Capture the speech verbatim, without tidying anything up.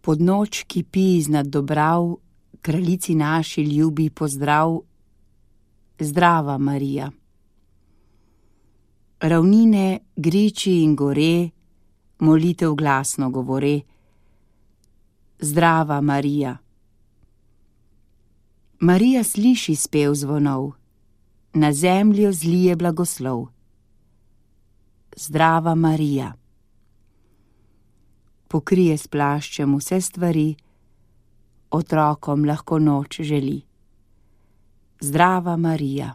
Pod noč kipi iznad Dobrav, kraljici naši ljubi pozdrav. Zdrava, Marija. Ravnine, griči in gore, molitev glasno govore. Zdrava, Marija. Marija sliši spev zvonov, na zemljo zlije blagoslov. Zdrava, Marija. Pokrije s plaščem vse stvari, otrokom lahko noč želi. Zdrava, Marija.